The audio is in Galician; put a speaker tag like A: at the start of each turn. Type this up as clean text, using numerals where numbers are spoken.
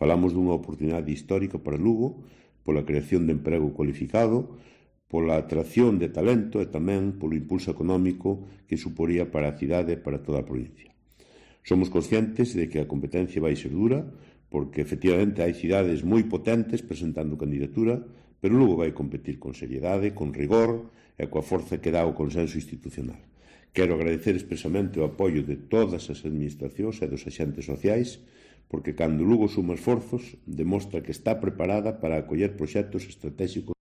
A: Falamos dunha oportunidade histórica para Lugo, pola creación de emprego cualificado, pola atracción de talento e tamén polo impulso económico que suporía para a cidade e para toda a provincia. Somos conscientes de que a competencia vai ser dura, porque efectivamente hai cidades moi potentes presentando candidatura, pero Lugo vai competir con seriedade, con rigor e coa forza que dá o consenso institucional. Quero agradecer expresamente o apoio de todas as administracións e dos axentes sociais, porque cando Lugo suma esforzos, demostra que está preparada para acoller proxectos estratégicos